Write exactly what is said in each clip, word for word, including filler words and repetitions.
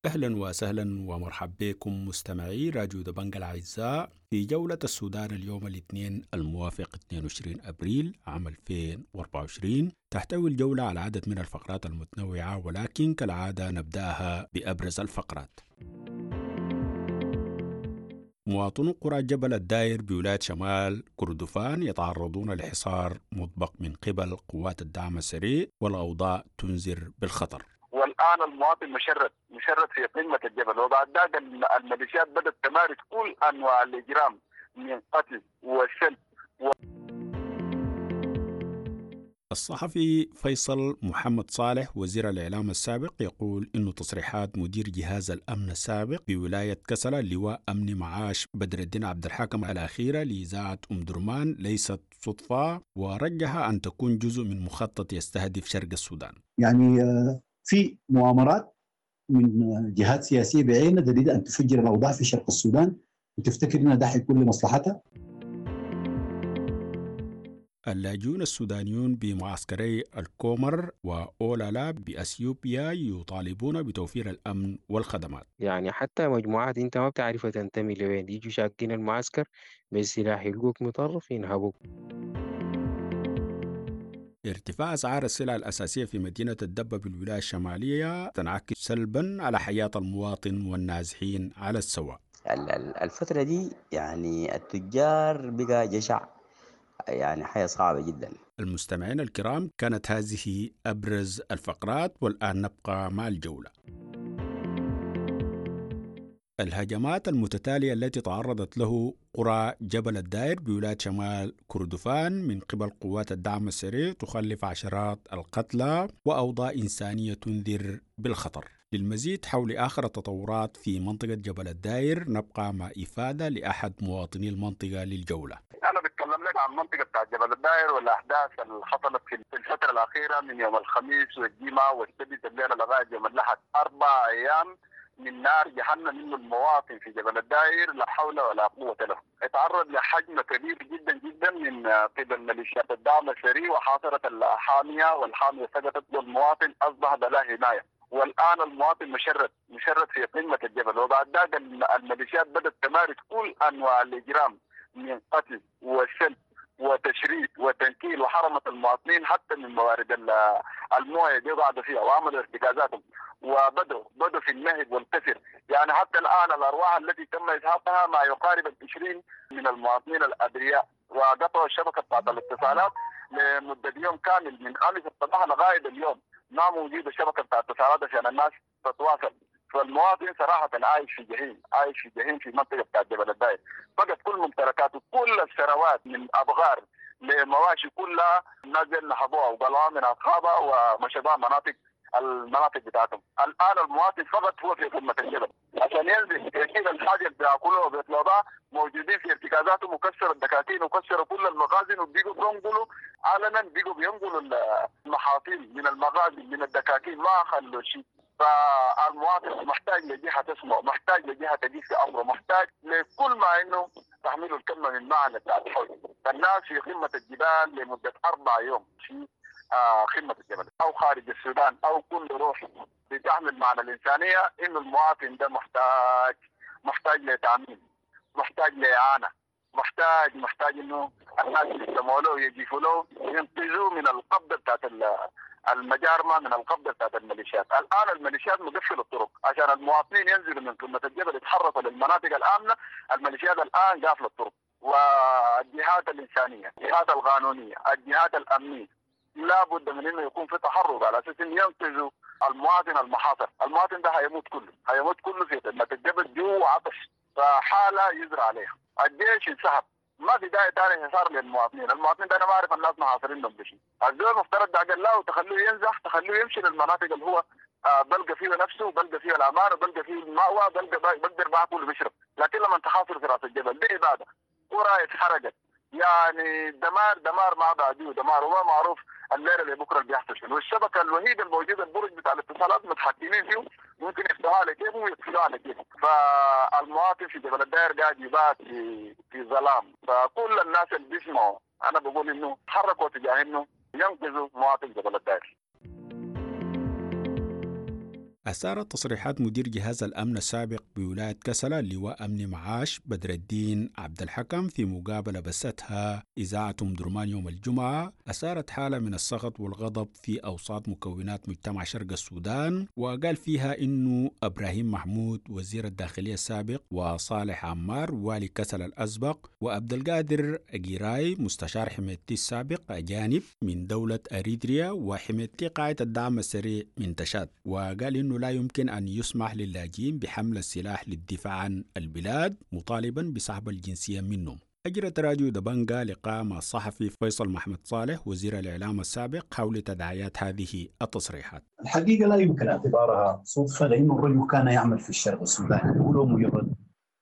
أهلا وسهلا ومرحبا بكم مستمعي راديو دبنجا الأعزاء في جولة السودان اليوم الاثنين الموافق اثنين وعشرين أبريل عام ألفين وأربعة وعشرين. تحتوي الجولة على عدد من الفقرات المتنوعة، ولكن كالعادة نبدأها بأبرز الفقرات. مواطنو قرى جبل الداير بولاية شمال كردفان يتعرضون لحصار مطبق من قبل قوات الدعم السريع، والأوضاع تنذر بالخطر. والان المواطن مشرد مشرد في قمه الجبل، وبعد ذاك الميليشيات بدات تمارس كل انواع الاجرام من قتل وسلب و... الصحفي فيصل محمد صالح، وزير الإعلام السابق، يقول إن تصريحات مدير جهاز الأمن السابق بولاية كسلا لواء أمن معاش بدر الدين عبد الحاكم الأخيرة لإذاعة أم درمان ليست صدفة، ورجح أن تكون جزء من مخطط يستهدف شرق السودان. يعني في مؤامرات من جهات سياسيه بعينها تريد ان تفجر الاوضاع في شرق السودان وتفتكر ان ده حيكون لمصلحتها. اللاجئون السودانيون بمعسكري الكومر وأولالا بأثيوبيا يطالبون بتوفير الأمن والخدمات. يعني حتى مجموعات انت ما بتعرفها تنتمي لوين، يجوا شاقين المعسكر بالسلاح، يلقوك مطرف ينهبوك. ارتفاع أسعار السلع الأساسية في مدينة الدبة بالولاية الشمالية تنعكس سلبا على حياة المواطن والنازحين على السواء. الفترة دي يعني التجار بقى جشع، يعني حياة صعبة جدا. المستمعين الكرام، كانت هذه أبرز الفقرات، والآن نبقى مع الجولة. الهجمات المتتالية التي تعرضت له قرى جبل الداير بولاية شمال كردفان من قبل قوات الدعم السريع تخلف عشرات القتلى وأوضاع إنسانية تنذر بالخطر. للمزيد حول آخر التطورات في منطقة جبل الداير نبقى مع إفادة لأحد مواطني المنطقة للجولة. أنا بتكلم لك عن منطقة بتاع جبل الداير والأحداث اللي حصلت في الفترة الأخيرة من يوم الخميس والجمعة والسبت الليلة لغاية يوم الأحد، أربع أيام من نار جهنم، انه المواطن في جبل الداير لا حول ولا قوه له، اتعرض لحجم كبير جدا جدا من قبل ميليشيات الدعم السريع وحاصرت الحاميه، والحاميه سقطت والمواطن اصبح بلا حمايه. والان المواطن مشرد مشرد في قمه الجبل، وبعد ذاك الميليشيات بدات تمارس كل انواع الاجرام من قتل وسلب وتشريد وتنكيل، وحرمت المواطنين حتى من موارد المويه اللي قعدوا فيها وعملوا ارتكازاتهم، وبدوا بدوا في النهب والكسر. يعني حتى الان الارواح التي تم ازهاقها ما يقارب ال عشرين من المواطنين الابرياء، وقطعوا الشبكه بتاعت الاتصالات لمده يوم كامل، من امس الصباح لغايه اليوم ما موجوده الشبكه بتاعت الاتصالات عشان الناس تتواصل. فالمواطن صراحة عايش في جحيم، عايش في جحيم في منطقة بتاعت جبل الداير. فقد كل ممتلكاته، كل الثروات من أبقار لمواشي كلها الناس نهبوها وقلعوها من أصحابها ومشوا مناطق المناطق بتاعتهم. الان المواطن فقط هو في قمه الجبل عشان ينزل يجيب الحاجه اللي بياكلوها وبيطلبوها، موجودين في ارتكازاتهم وكسروا الدكاكين وكسروا كل المخازن، وبيقوا بينقلوا علنا، بيقوا بينقلوا المحاصيل من المخازن من الدكاكين، ما خلوا شيء. فالمواطن محتاج لجهه تسمع، محتاج لجهه تجيب في امره، محتاج لكل ما انه تحمله الكلمه من معنى بتاع الحوج. فالناس في قمه الجبال لمده اربع يوم في آه قمه الجبل، او خارج السودان او كل روح بتحمل معنى الانسانيه، انه المواطن ده محتاج محتاج لتامين، محتاج لاعانه، محتاج محتاج انه الناس يستمعوا له، يجيفوا له، ينقذوه من القبضه بتاعت المجارمه، من القبضه بتاعت الميليشيات. الان الميليشيات مقفله الطرق عشان المواطنين ينزلوا من قمه الجبل يتحركوا للمناطق الامنه. الميليشيات الان قافله الطرق، والجهات الانسانيه، الجهات القانونيه، الجهات الامنيه، لا بد من انه يكون في تحرك على اساس انه ينقذوا المواطن المحاصر. المواطن ده هيموت كله، هيموت كله في قمه الجبل جوع وعطش، فحاله يزرع عليها. الجيش انسحب، ما في داعي ثاني حصار للمواطنين. المواطنين ده انا ما اعرف الناس محاصرينهم بشيء. الزول المفترض ده له تخلوه ينزح، تخلوه يمشي للمناطق اللي هو آه بلقى فيه نفسه، بلقى فيه الامان، وبلقى فيه المأوى، بلقى بقدر باكل وبشرب. لكن لما تحاصر في راس الجبل دي اباده. قرى اتحرقت، يعني دمار دمار ما بعديه دمار، وما معروف الليله اللي بكره اللي بيحصل شنو. والشبكه الوحيده الموجوده، البرج بتاع الاتصالات، متحكمين فيه، ممكن يفتحوها على كيفهم ويقفلوها على كيفهم. فالمواطن في جبل الداير قاعد يبات في في ظلام. فكل الناس اللي بيسمعوا، انا بقول انه تحركوا تجاه انه ينقذوا مواطن جبل الداير. أثارت تصريحات مدير جهاز الأمن السابق بولاية كسلا اللواء أمن معاش بدر الدين عبد الحكم في مقابلة بثتها إذاعة أم درمان يوم الجمعة، أثارت حالة من السخط والغضب في أوساط مكونات مجتمع شرق السودان، وقال فيها إنه إبراهيم محمود وزير الداخلية السابق وصالح عمار والي كسلا الأسبق وعبد القادر أجيراي مستشار حميدتي السابق أجانب من دولة أريتريا وحميدتي قاعدة الدعم السريع من تشاد. وقال إنه لا يمكن أن يسمح للاجئين بحمل السلاح للدفاع عن البلاد، مطالبا بسحب الجنسية منهم. أجرت راديو دبنجا لقاء مع الصحفي فيصل محمد صالح وزير الإعلام السابق حول تداعيات هذه التصريحات. الحقيقة لا يمكن اعتبارها صدفة، لأنه الرجل كان يعمل في الشرق السوداني، هو مجرد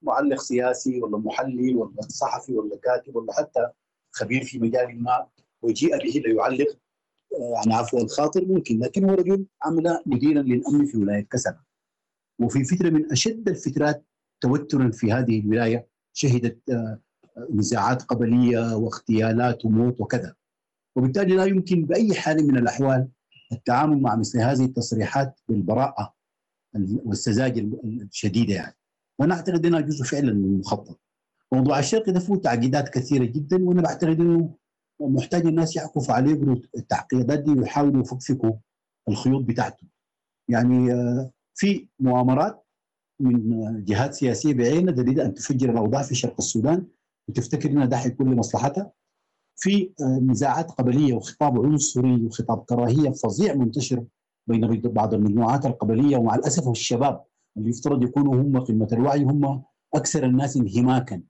معلق سياسي ولا محلل ولا صحفي ولا كاتب ولا حتى خبير في مجال ما وجيء به ليعلق عن عفو الخاطر ممكن، لكن هو رجل عمل مديرا للأمن في ولاية كسلا، وفي فترة من أشد الفترات توترا في هذه الولاية شهدت نزاعات قبلية واغتيالات وموت وكذا، وبالتالي لا يمكن بأي حال من الأحوال التعامل مع مثل هذه التصريحات بالبراءة والسذاجة الشديدة يعني. وأنا أعتقد أنها جزء فعلا من المخطط. موضوع الشرق ده فيه تعقيدات كثيرة جدا، وأنا بعتقد أنه محتاج الناس يعكفوا عليه يقروا التعقيدات دي ويحاولوا يفكفكوا الخيوط بتاعته. يعني في مؤامرات من جهات سياسية بعينها تريد أن تفجر الأوضاع في شرق السودان وتفتكر أنها ده حيكون لمصلحتها. في نزاعات قبلية وخطاب عنصري وخطاب كراهية فظيع منتشر بين بعض المجموعات القبلية، ومع الأسف الشباب اللي يفترض يكونوا هم قمة الوعي هم أكثر الناس انهماكا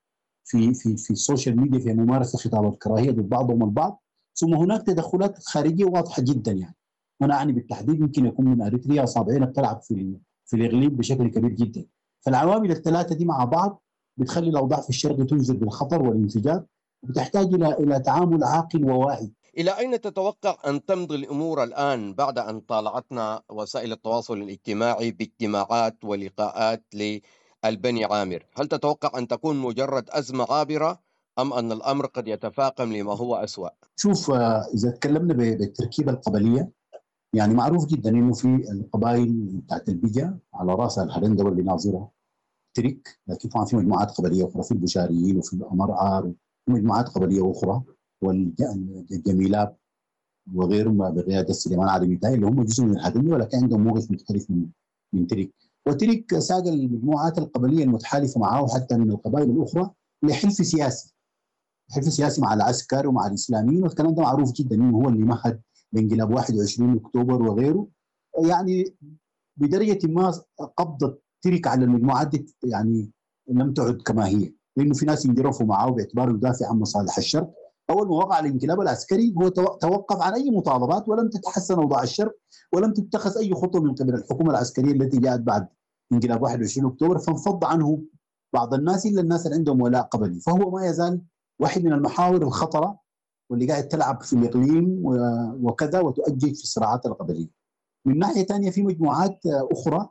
في في في ال social media في ممارسة خطاب الكراهية ضد بعضهم البعض. ثم هناك تدخلات خارجية واضحة جدا، يعني انا اعني بالتحديد يمكن يكون من اريتريا اصابعنا بتلعب في في الاقليم بشكل كبير جدا. فالعوامل الثلاثة دي مع بعض بتخلي الاوضاع في الشرق تنزل بالخطر والانفجار، وبتحتاج الى الى تعامل عاقل وواعي. الى اين تتوقع ان تمضي الامور الان بعد ان طالعتنا وسائل التواصل الاجتماعي باجتماعات ولقاءات ل البني عامر؟ هل تتوقع أن تكون مجرد أزمة عابرة أم أن الأمر قد يتفاقم لما هو أسوأ؟ شوف، إذا تكلمنا بالتركيبة القبلية، يعني معروف جدا أنه في القبائل بتاعت البجا على رأسها الهرندوة اللي ناظرة ترك، لكن طبعا في مجموعات قبلية أخرى، في البشاريين وفي الأمرعار ومجموعات قبلية أخرى والجميلاب وغيرهم بقيادة سليمان علي ميتاي اللي هم جزء من الهرندوة، ولكن عندهم موقف مختلف من من ترك. وترك ساق المجموعات القبلية المتحالفة معه حتى من القبائل الأخرى لحلف سياسي، حلف سياسي مع العسكر ومع الإسلاميين، والكلام ده معروف جدا إنه هو اللي مهد لانقلاب واحد وعشرين أكتوبر وغيره. يعني بدرجة ما قبضة ترك على المجموعات دي يعني لم تعد كما هي، لأنه في ناس انجرفوا معه باعتباره يدافع عن مصالح الشرق. أول ما وقع الانقلاب العسكري هو توقف عن أي مطالبات، ولم تتحسن أوضاع الشرق، ولم تتخذ أي خطوة من قبل الحكومة العسكرية التي جاءت بعد انقلاب واحد وعشرين أكتوبر، فانفض عنه بعض الناس إلا الناس اللي عندهم ولاء قبلي. فهو ما يزال واحد من المحاور الخطرة واللي قاعد تلعب في الإقليم وكذا وتؤجج في الصراعات القبلية. من ناحية ثانية في مجموعات أخرى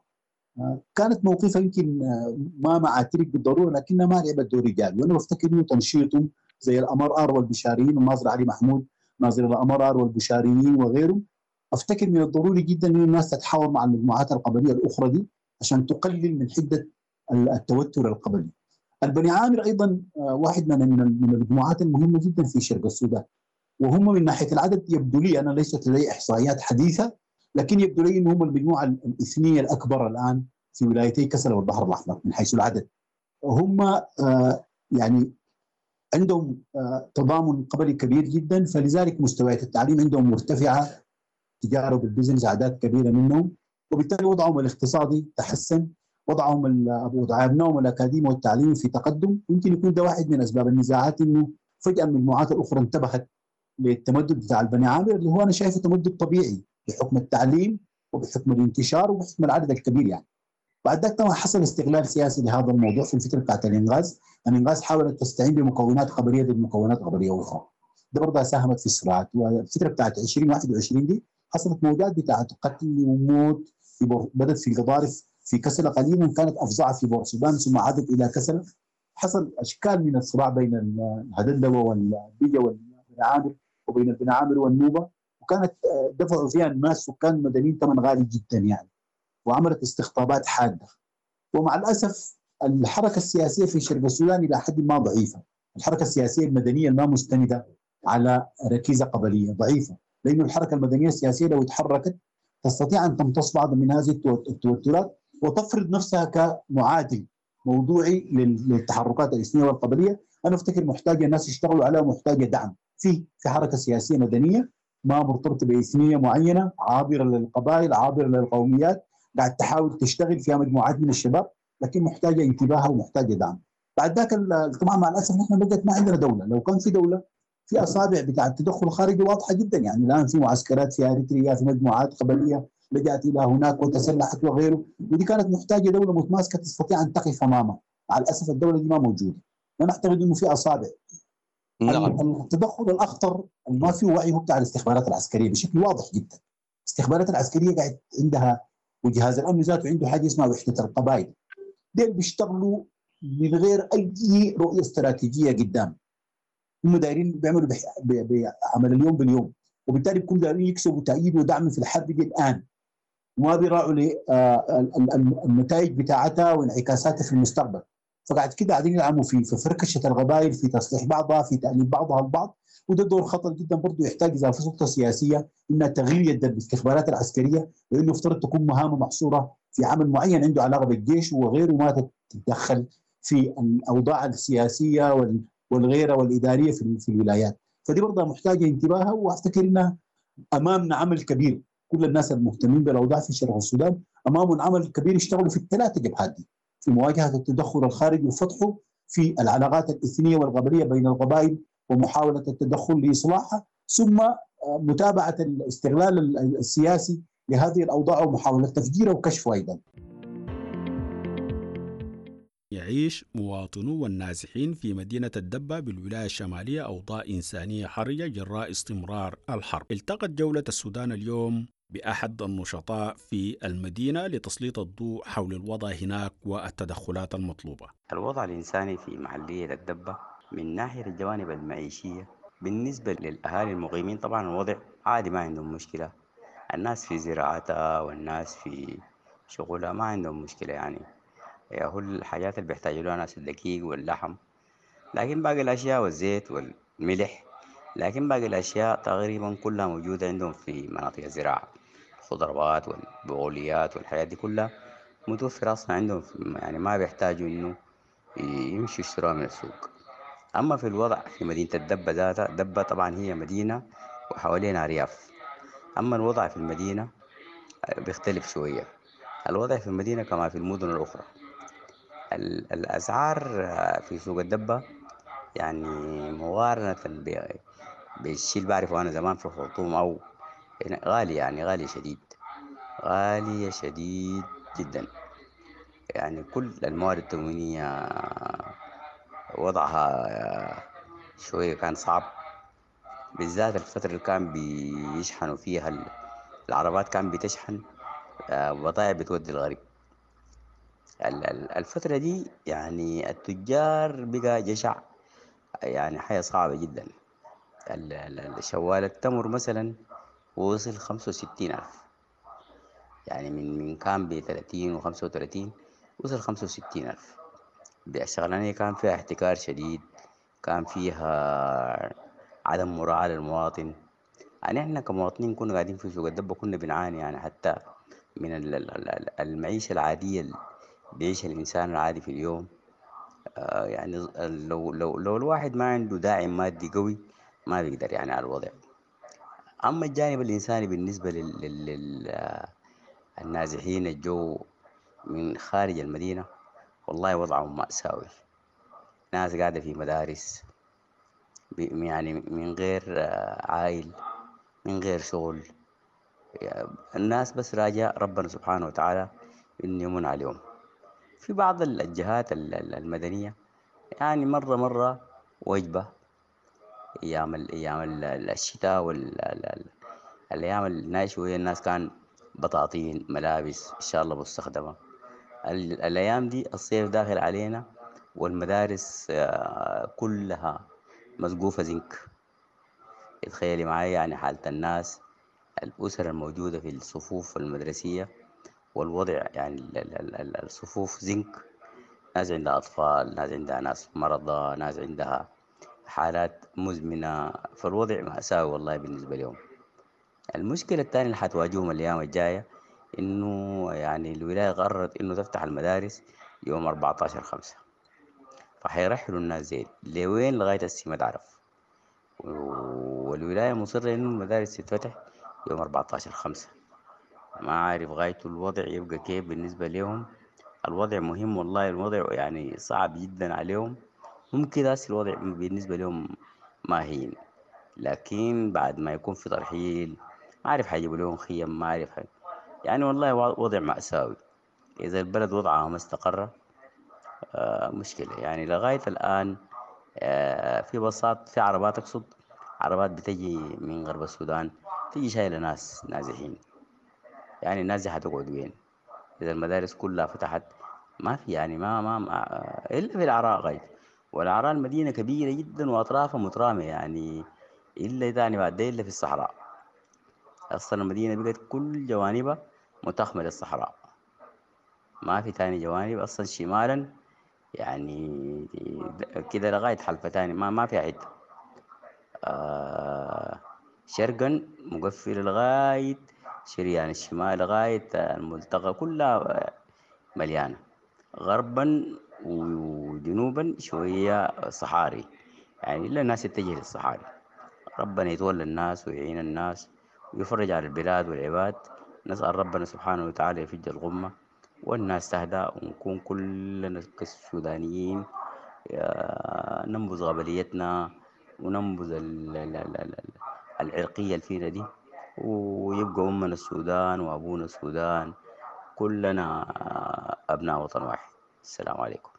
كانت موقفها يمكن ما مع ترك بالضرورة، لكنها ما لعبت دور إيجابي، وأنا بفتكر إنه تنشيطهم زي الأمرار والبشاريين والناظر علي محمود ناظر الأمرار والبشاريين وغيره، أفتكر من الضروري جدا إنه الناس تتحاور مع المجموعات القبلية الأخرى دي عشان تقلل من حدة التوتر القبلي. البني عامر أيضا واحد من من المجموعات المهمة جدا في شرق السودان، وهم من ناحية العدد يبدو لي، أنا ليست لدي إحصائيات حديثة، لكن يبدو لي أنهم المجموعة الإثنية الأكبر الآن في ولايتي كسلا والبحر الأحمر من حيث العدد. هم يعني عندهم تضامن قبلي كبير جدا، فلذلك مستويات التعليم عندهم مرتفعة، تجارة بالبزنس أعداد كبيرة منهم، وبالتالي وضعهم الاقتصادي تحسن، وضعهم وضع أبنائهم الأكاديمي والتعليمي في تقدم. يمكن يكون ده واحد من أسباب النزاعات، إنه فجأة المجموعات الأخرى انتبهت للتمدد بتاع البني عامر، اللي هو أنا شايفه تمدد طبيعي بحكم التعليم وبحكم الانتشار وبحكم العدد الكبير. يعني بعد ذلك طبعا حصل استغلال سياسي لهذا الموضوع في الفترة بتاعت الإنغاز. الإنغاز حاولت تستعين بمكونات قبلية ضد مكونات قبلية أخرى، ده برضه ساهمت في الصراعات. والفترة بتاعت ألفين وواحد وعشرين دي حصلت موجات بتاعت قتل وموت في بور... بدت في القضارف في كسلة قليلا، كانت أفظع في بورسودان ثم عادت إلى كسلة. حصل أشكال من الصراع بين الهدندوة والبيجة والبني عامر وبين البني عامر والنوبة، وكانت دفعوا فيها الناس سكان مدنيين ثمن غالي جدا يعني. وعملت استقطابات حادة. ومع الاسف الحركة السياسية في شرق السودان الى حد ما ضعيفة، الحركة السياسية المدنية الما مستنده على ركيزة قبليه ضعيفة، لانه الحركة المدنية السياسية لو تحركت تستطيع ان تمتص بعض من هذه التوترات وتفرض نفسها كمعادل موضوعي للتحركات الاثنيه والقبليه. انا افتكر محتاجه الناس يشتغلوا عليها ومحتاجة دعم في في حركة سياسية مدنية ما مرتبطة باثنيه معينة، عابرة للقبائل، عابرة للقوميات، قاعد تحاول تشتغل فيها مجموعات من الشباب، لكن محتاجه انتباه ومحتاجة دعم. بعد ذاك طبعا مع الاسف نحن بقت ما عندنا دولة، لو كان في دولة في اصابع بتاع التدخل الخارجي واضحة جدا، يعني الان في معسكرات في اريتريا، في مجموعات قبليه لجأت الى هناك وتسلحت وغيره، ودي كانت محتاجه دولة متماسكة تستطيع ان تقف امامها. مع الاسف الدولة دي ما موجودة. انا اعتقد انه في اصابع. نعم. التدخل الاخطر ما في وعي هو بتاع الاستخبارات العسكرية بشكل واضح جدا. الاستخبارات العسكرية قاعد عندها، وجهاز الامن ذاته عنده حاجة اسمها وحده القبائل. ديل بيشتغلوا من غير اي رؤية استراتيجية قدام. هم دايرين بيعملوا بعمل اليوم باليوم، وبالتالي بيكونوا دايرين يكسبوا تأييد ودعم في الحرب دي الان، وما بيراعوا للنتائج بتاعتها وانعكاساتها في المستقبل. فقاعد كده قاعدين يلعبوا في في فركشه القبائل، في تصليح بعضها، في تأليف بعضها البعض، وده دور خطر جدا برضه، يحتاج اذا في سلطة سياسية انها تغيير يد الاستخبارات العسكرية، لانه افترض تكون مهامه محصورة في عمل معين عنده علاقة بالجيش وغيره، ما تتدخل في الاوضاع السياسية والغيرة والادارية في في الولايات. فدي برضه محتاجه انتباهها، وافتكر انها امامنا عمل كبير، كل الناس المهتمين بالاوضاع في شرق السودان امامهم عمل كبير يشتغلوا في الثلاثة جبهات دي، في مواجهة التدخل الخارجي وفتحه، في العلاقات الاثنيه والقبليه بين القبائل ومحاولة التدخل لاصلاحها، ثم متابعه الاستغلال السياسي لهذه الاوضاع ومحاولة تفجيرها وكشفها ايضا. يعيش مواطنو والنازحين في مدينة الدبة بالولاية الشمالية أوضاع إنسانية حرجة جراء استمرار الحرب. التقت جولة السودان اليوم بأحد النشطاء في المدينة لتسليط الضوء حول الوضع هناك والتدخلات المطلوبة. الوضع الإنساني في محلية الدبة من ناحية الجوانب المعيشية بالنسبة للأهالي المقيمين طبعا الوضع عادي، ما عندهم مشكلة، الناس في زراعتها والناس في شغلها ما عندهم مشكلة، يعني هو الحاجات اللي بيحتاجوا لها ناس الدقيق واللحم، لكن باقي الأشياء والزيت والملح، لكن باقي الأشياء تقريبا كلها موجودة عندهم في مناطق الزراعة، الخضروات والبقوليات والحاجات دي كلها متوفرة أصلا عندهم، يعني ما بيحتاجوا إنه يمشوا يشتروها من السوق. أما في الوضع في مدينة الدبة ذاتها، دبة طبعا هي مدينة وحوالينا أرياف، أما الوضع في المدينة بيختلف شوية. الوضع في المدينة كما في المدن الأخرى، الأسعار في سوق الدبة يعني مقارنة بالشيء اللي بعرفه أنا زمان في الخرطوم أو غالي، يعني غالي شديد، غالية شديد جدا. يعني كل المواد التموينية وضعها شوية كان صعب، بالذات الفترة اللي كان بيشحنوا فيها العربات كان بتشحن بضائع بتودي الغرب. الفترة دي يعني التجار بقى جشع، يعني حياة صعبة جدا. شوال التمر مثلا وصل خمسة وستين ألف، يعني من من كان بثلاثين وخمسة وثلاثين وصل خمسة وستين ألف. الشغلانية كان فيها احتكار شديد، كان فيها عدم مراعاة للمواطن. يعني احنا كمواطنين كنا قاعدين في سوق الدبة كنا بنعاني يعني حتى من المعيشة العادية اللي بيعيشها الإنسان العادي في اليوم. آه يعني لو لو لو الواحد ما عنده داعم مادي قوي ما بيقدر يعني على الوضع. أما الجانب الإنساني بالنسبة لل, لل... النازحين الجو من خارج المدينة، والله وضعهم مأساوي. ناس قاعدة في مدارس يعني من غير عائل، من غير شغل، الناس بس راجع ربنا سبحانه وتعالى إنه يمن عليهم. في بعض الجهات المدنية يعني مرة مرة وجبة أيام أيام الشتاء والأيام الناشئة الناس كان بطاطين، ملابس إن شاء الله مستخدمة. الأيام دي الصيف داخل علينا والمدارس كلها مسقوفة زنك. تخيلي معايا يعني حالة الناس، الأسر الموجودة في الصفوف المدرسية والوضع يعني الصفوف زنك، ناس عندها أطفال، ناس عندها ناس مرضى، ناس عندها حالات مزمنة، فالوضع مأساوي والله بالنسبة لهم. المشكلة الثانية اللي حتواجههم الأيام الجاية إنه يعني الولاية قررت إنه تفتح المدارس يوم أربعة عشر خمسة، فحيرحلوا الناس زي لوين لغاية هسه ما تعرف، والولاية مصرة إنه المدارس تتفتح يوم أربعة عشر خمسة. ما عارف غايته الوضع يبقى كيف بالنسبة لهم. الوضع مهم والله، الوضع يعني صعب جدا عليهم. ممكن هسه الوضع بالنسبة لهم ما هين، لكن بعد ما يكون في ترحيل ما عارف حيجيبوا لهم خيم، ما عارف حي... يعني والله وضع مأساوي. إذا البلد وضعها ما استقر آه مشكلة. يعني لغاية الآن آه في بساط، في عربات، أقصد عربات بتجي من غرب السودان تيجي شايلة ناس نازحين. يعني الناس دي حتقعد وين إذا المدارس كلها فتحت؟ ما في يعني ما ما, ما إلا في العراء غاية، والعراء المدينة كبيرة جدا وأطرافها مترامية، يعني إلا تاني بعد إلا في الصحراء. أصلا المدينة بقت كل جوانبها متخمة للصحراء، ما في تاني جوانب أصلا شمالا يعني كده لغاية حلفة تاني ما ما في حتة. آه شرقا مقفل لغاية شريان الشمال لغاية الملتقى كلها مليانة. غربا وجنوبا شوية صحاري، يعني إلا الناس تتجه للصحاري. ربنا يتولى الناس ويعين الناس ويفرج على البلاد والعباد. نسأل ربنا سبحانه وتعالى يفج الغمة والناس تهدأ، ونكون كلنا كالسودانيين ننبذ غبليتنا وننبذ العرقية اللي فينا دي، ويبقى أمنا السودان وأبونا السودان، كلنا أبناء وطن واحد. السلام عليكم.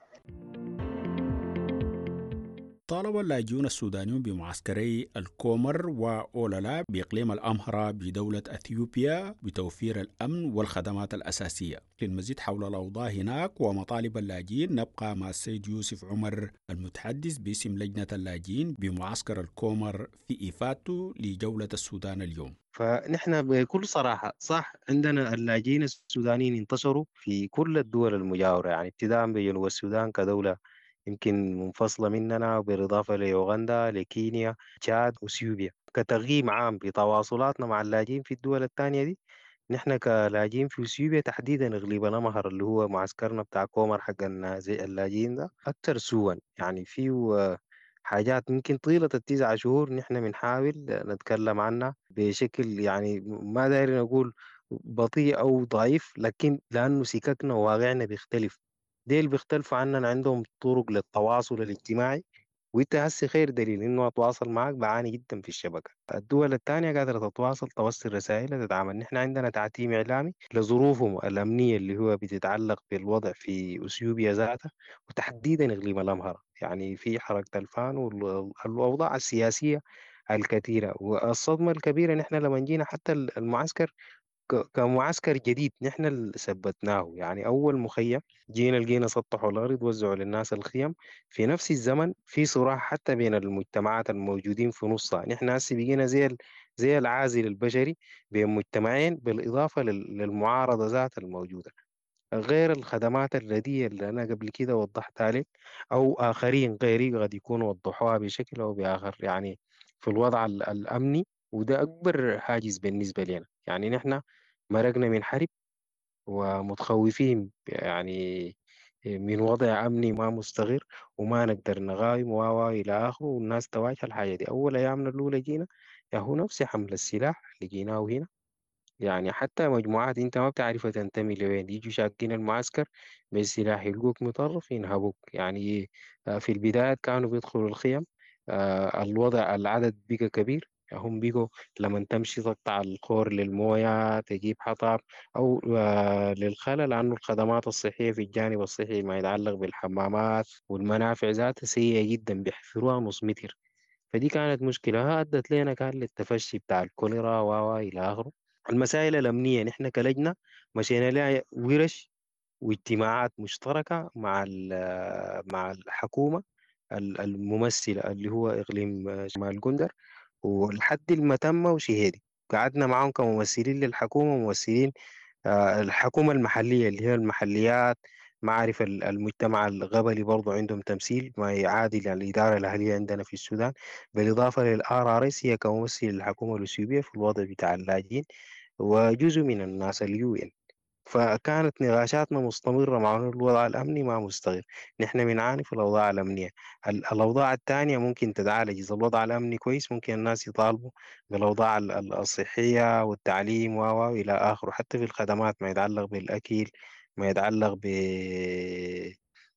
طالب اللاجئون السودانيون بمعسكري الكومر وأولالا بإقليم الأمهرة بدولة أثيوبيا بتوفير الأمن والخدمات الأساسية. للمزيد حول الأوضاع هناك ومطالب اللاجئين نبقى مع السيد يوسف عمر المتحدث باسم لجنة اللاجئين بمعسكر الكومر في إفادته لجولة السودان اليوم. فنحن بكل صراحة صح عندنا اللاجئين السودانيين انتشروا في كل الدول المجاورة، يعني ابتداء بجنوب السودان كدولة يمكن منفصلة مننا، وبالإضافة ليوغندا، لكينيا، تشاد، وإثيوبيا. كتقييم عام بتواصلاتنا مع اللاجئين في الدول الثانية دي، نحن كلاجئين في إثيوبيا تحديدا إقليم الأمهر اللي هو معسكرنا بتاع كومر حق اللاجئين ده أكثر سوءا. يعني فيه حاجات ممكن طيلة التسعة شهور نحن بنحاول نتكلم عنها بشكل يعني ما داير نقول بطيء أو ضعيف، لكن لأنه سككنا وواقعنا بيختلف. ديل بيختلفوا عننا، عندهم طرق للتواصل الاجتماعي، وانت هسي خير دليل انه اتواصل معك بعاني جدا في الشبكه. الدول الثانيه قادره تتواصل، توصل رسائل، تتعامل. نحن عندنا تعتيم اعلامي لظروفهم الامنيه اللي هو بتتعلق بالوضع في اثيوبيا ذاتها، وتحديدا اقليم الامهره، يعني في حركه الفان والاوضاع السياسيه الكثيره والصدمه الكبيره. نحن لما جينا حتى المعسكر كمعسكر جديد نحن اللي ثبتناه، يعني أول مخيم جينا لقينا سطحوا الأرض، وزعوا للناس الخيم. في نفس الزمن في صراع حتى بين المجتمعات الموجودين في نصها. نحن هسه بقينا زي زي العازل البشري بين مجتمعين، بالإضافة للمعارضة ذات الموجودة، غير الخدمات الرديئة اللي أنا قبل كده وضحت عليك أو آخرين غيري قد يكونوا وضحوها بشكل أو بآخر، يعني في الوضع الأمني. وده أكبر حاجز بالنسبة لنا. يعني نحن مرقنا من حرب ومتخوفين يعني من وضع أمني ما مستقر وما نقدر نغايم و إلى آخره، والناس تواجه الحاجة دي. أول أيامنا الأولى جينا يا هو نفس حمل السلاح اللي جيناه هنا، يعني حتى مجموعات أنت ما بتعرفها تنتمي لوين، يجوا شاكين المعسكر بالسلاح، يلقوك مطرف ينهبوك. يعني في البداية كانوا بيدخلوا الخيم، الوضع العدد بقى كبير، هم بيجوا لما تمشي تقطع الخور للموية، تجيب حطب أو للخلا، لأنه الخدمات الصحية في الجانب الصحي ما يتعلق بالحمامات والمنافع ذاتها سيئة جدا، بيحفروها نص متر. فدي كانت مشكلة أدت لنا كان للتفشي بتاع الكوليرا و إلى آخره. المسائل الأمنية نحن كلجنة مشينا لها ورش واجتماعات مشتركة مع مع الحكومة الممثلة اللي هو إقليم شمال جندر ولحد المتمة وشهيدي. قعدنا معهم كممثلين للحكومة وممثلين الحكومة المحلية اللي هي المحليات، معارف المجتمع القبلي برضو عندهم تمثيل ما يعادل الإدارة الأهلية عندنا في السودان، بالإضافة لل RRS هي كممثل للحكومة الأثيوبية في الوضع بتاع اللاجئين وجزء من الناس ال UN. فكانت نقاشاتنا مستمرة مع أنه الوضع الأمني ما مستقر، نحن بنعاني في الأوضاع الأمنية. الأوضاع الثانية ممكن تتعالج إذا الوضع الأمني كويس، ممكن الناس يطالبوا بالأوضاع الصحية والتعليم و إلى آخره، حتى في الخدمات ما يتعلق بالأكل، ما يتعلق ب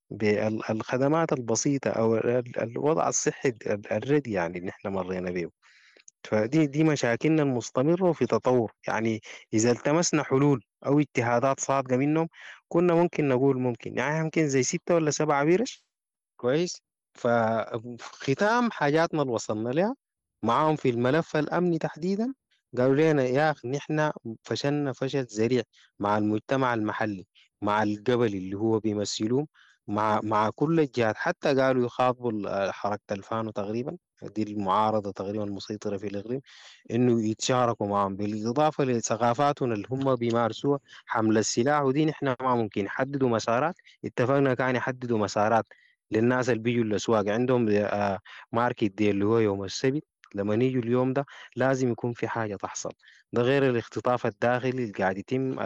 بالخدمات البسيطة أو الوضع الصحي الردي يعني اللي نحن مرينا به. فدي دي مشاكلنا المستمرة وفي تطور. يعني إذا التمسنا حلول أو اجتهادات صادقة منهم كنا ممكن نقول ممكن يعني ممكن زي ستة ولا سبعة بيرش كويس. فختام حاجاتنا اللي وصلنا لها معاهم في الملف الأمني تحديدا، قالوا لنا يا أخي نحن فشلنا فشل ذريع مع المجتمع المحلي، مع القبلي اللي هو بيمثلوه، مع مع كل الجهات، حتى قالوا يخاطبوا حركة الفانو تقريبا، دي المعارضة تقريبا المسيطرة في الإقليم، إنه يتشاركوا معهم، بالإضافة لثقافاتهم اللي هم بيمارسوها حمل السلاح، ودي نحن ما ممكن يحددوا مسارات. اتفقنا كان يحددوا مسارات للناس اللي بيجوا الأسواق عندهم market day اللي هو يوم السبت، لما يجوا اليوم ده لازم يكون في حاجة تحصل. ده غير الاختطاف الداخلي اللي قاعد يتم،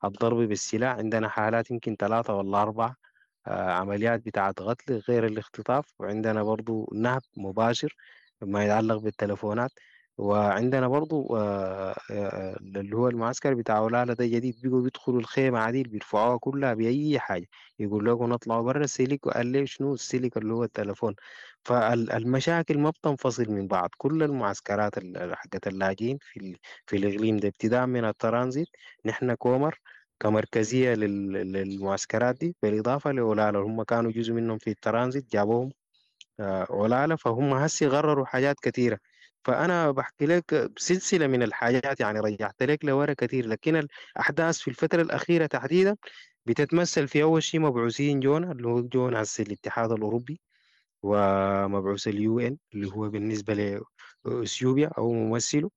الضرب بالسلاح، عندنا حالات يمكن ثلاثة ولا أربعة عمليات بتاعت قتل غير الاختطاف، وعندنا برضو نهب مباشر ما يتعلق بالتلفونات، وعندنا برضو اللي هو المعسكر بتاع ولاله ده جديد، بيجوا بيدخلوا الخيمة عديل بيرفعوها كلها بأي حاجة، يقول لكم نطلعوا برا السلك، وقال لي شنو السلك اللي هو التلفون. فالمشاكل ما بتنفصل من بعض، كل المعسكرات حقت اللاجئين في في الإقليم ده ابتداء من الترانزيت، نحن كومر كمركزية للمعسكرات دي، بالإضافة لأولالا هم كانوا جزء منهم في الترانزيت جابوهم أولالا، فهم هسي غرروا حاجات كثيرة. فأنا بحكي لك سلسلة من الحاجات يعني رجعت لك لورا كثير، لكن الأحداث في الفترة الأخيرة تحديدا بتتمثل في أول شيء مبعوثين جونا اللي هو جونا هسي الاتحاد الأوروبي ومبعوث ال UN اللي هو بالنسبة لأثيوبيا أو ممثله،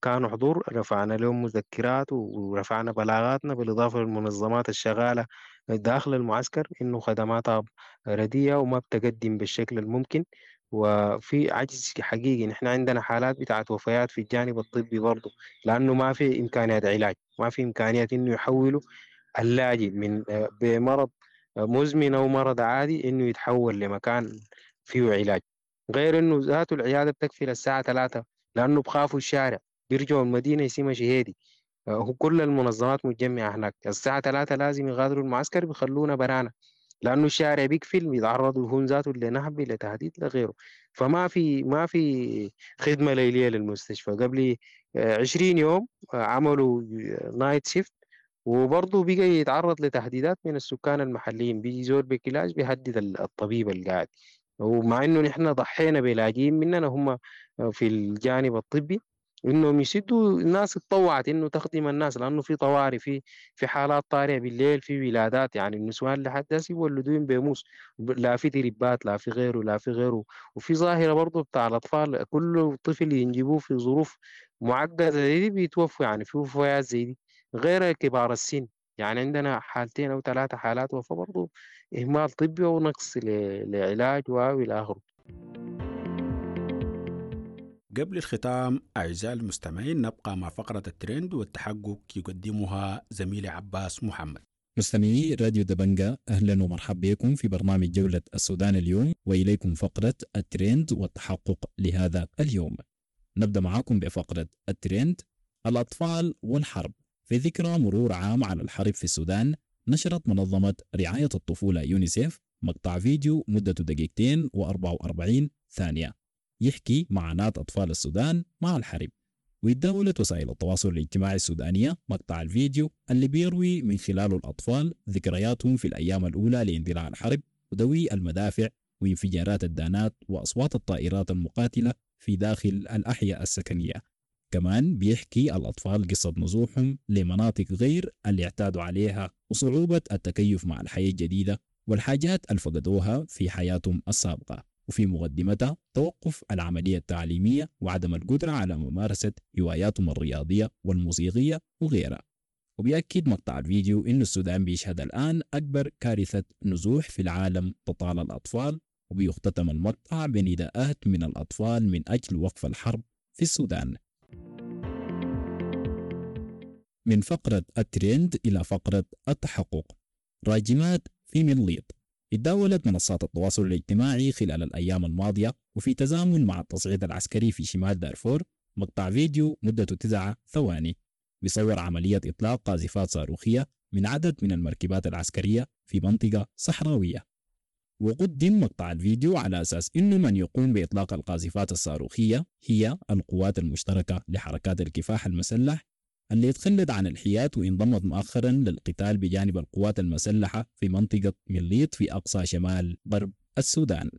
كانوا حضور، رفعنا لهم مذكرات ورفعنا بلاغاتنا، بالإضافة للمنظمات الشغالة داخل المعسكر إنه خدماتها رديئة وما بتقدم بالشكل الممكن، وفي عجز حقيقي. نحن عندنا حالات بتاعت وفيات في الجانب الطبي برضه، لأنه ما في إمكانيات علاج، ما في إمكانيات إنه يحولوا اللاجئ من بمرض مزمن أو مرض عادي إنه يتحول لمكان فيه علاج، غير إنه ذاته العيادة بتكفي للساعة ثلاثة لأنه بخافوا الشارع بيرجعوا المدينة يسمى شهيدي، هو كل المنظمات متجمعة هناك الساعة ثلاثة لازم يغادروا المعسكر بيخلونا برانا، لأنه الشارع بيقفل، بيتعرضوا هم ذاته لنهب لتهديد لغيره. فما في ما في خدمة ليلية للمستشفى. قبل عشرين يوم عملوا night shift، وبرضه بقى يتعرض لتهديدات من السكان المحليين، بيجي زول بكلاش بيهدد الطبيب القاعد، ومع انه نحن ضحينا بلاجئين مننا هم في الجانب الطبي انهم يسدوا، الناس اتطوعت انه تخدم الناس، لانه في طوارئ، في في حالات طارئه بالليل، في ولادات، يعني النسوان لحد هسه يولدون بموس، لا في دربات لا في غيره لا في غيره. وفي ظاهره برضه بتاع الاطفال، كل طفل ينجبوه في ظروف معقده زي دي بيتوفوا، يعني في وفيات زي دي غير كبار السن، يعني عندنا حالتين او ثلاثه حالات وفاه برضه اهمال طبي ونقص لعلاج والى اخره. قبل الختام أعزائي المستمعين نبقى مع فقرة الترند والتحقق يقدمها زميلي عباس محمد. مستمعي راديو دبنجا، أهلا ومرحبا بكم في برنامج جولة السودان اليوم، وإليكم فقرة الترند والتحقق لهذا اليوم. نبدأ معكم بفقرة الترند: الأطفال والحرب. في ذكرى مرور عام على الحرب في السودان، نشرت منظمة رعاية الطفولة يونيسيف مقطع فيديو مدته دقيقتين وأربعة وأربعين ثانية يحكي معاناة أطفال السودان مع الحرب. وتداولت وسائل التواصل الاجتماعي السودانية مقطع الفيديو اللي بيروي من خلاله الأطفال ذكرياتهم في الأيام الأولى لاندلاع الحرب ودوي المدافع وانفجارات الدانات وأصوات الطائرات المقاتلة في داخل الأحياء السكنية. كمان بيحكي الأطفال قصة نزوحهم لمناطق غير اللي اعتادوا عليها وصعوبة التكيف مع الحياة الجديدة والحاجات اللي فقدوها في حياتهم السابقة، وفي مقدمتها توقف العملية التعليمية وعدم القدرة على ممارسة هواياتهم الرياضية والموسيقية وغيرها. وبيأكد مقطع الفيديو إنه السودان بيشهد الآن أكبر كارثة نزوح في العالم تطال الأطفال، وبيختتم المقطع بنداءات من الأطفال من أجل وقف الحرب في السودان. من فقرة الترند إلى فقرة التحقق. راجمات في مليط. اتداولت منصات التواصل الاجتماعي خلال الأيام الماضية وفي تزامن مع التصعيد العسكري في شمال دارفور مقطع فيديو مدته تسعة ثواني بيصور عملية إطلاق قاذفات صاروخية من عدد من المركبات العسكرية في منطقة صحراوية. وقدم مقطع الفيديو على أساس إنه من يقوم بإطلاق القاذفات الصاروخية هي القوات المشتركة لحركات الكفاح المسلح اللي تخلت عن الحياد وانضمت مؤخرا للقتال بجانب القوات المسلحة في منطقة مليط في أقصى شمال غرب السودان.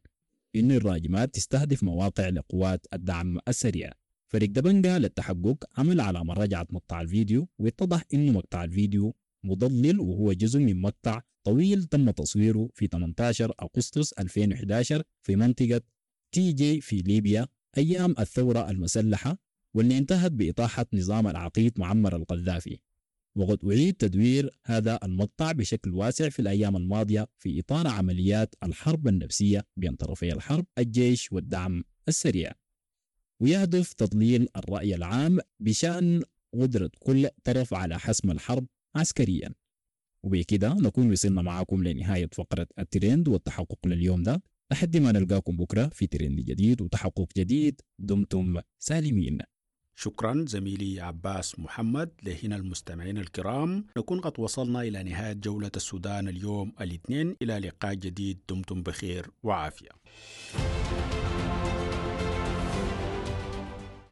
إن الراجمات تستهدف مواقع لقوات الدعم السريع. فريق دبنجا للتحقق عمل على مراجعة مقطع الفيديو، واتضح إنه مقطع الفيديو مضلل وهو جزء من مقطع طويل تم تصويره في ثمانية عشر أغسطس ألفين وأحد عشر في منطقة تي جي في ليبيا أيام الثورة المسلحة، واللي انتهت بإطاحة نظام العقيد معمر القذافي. وقد أعيد تدوير هذا المقطع بشكل واسع في الأيام الماضية في إطار عمليات الحرب النفسية بين طرفي الحرب الجيش والدعم السريع، ويهدف تضليل الرأي العام بشأن قدرة كل طرف على حسم الحرب عسكريا. وبكده نكون وصلنا معاكم لنهاية فقرة الترند والتحقق لليوم ده، لحد ما نلقاكم بكرة في ترند جديد وتحقق جديد. دمتم سالمين. شكرا زميلي عباس محمد. لهنا المستمعين الكرام نكون قد وصلنا إلى نهاية جولة السودان اليوم الاثنين. إلى لقاء جديد، دمتم بخير وعافية.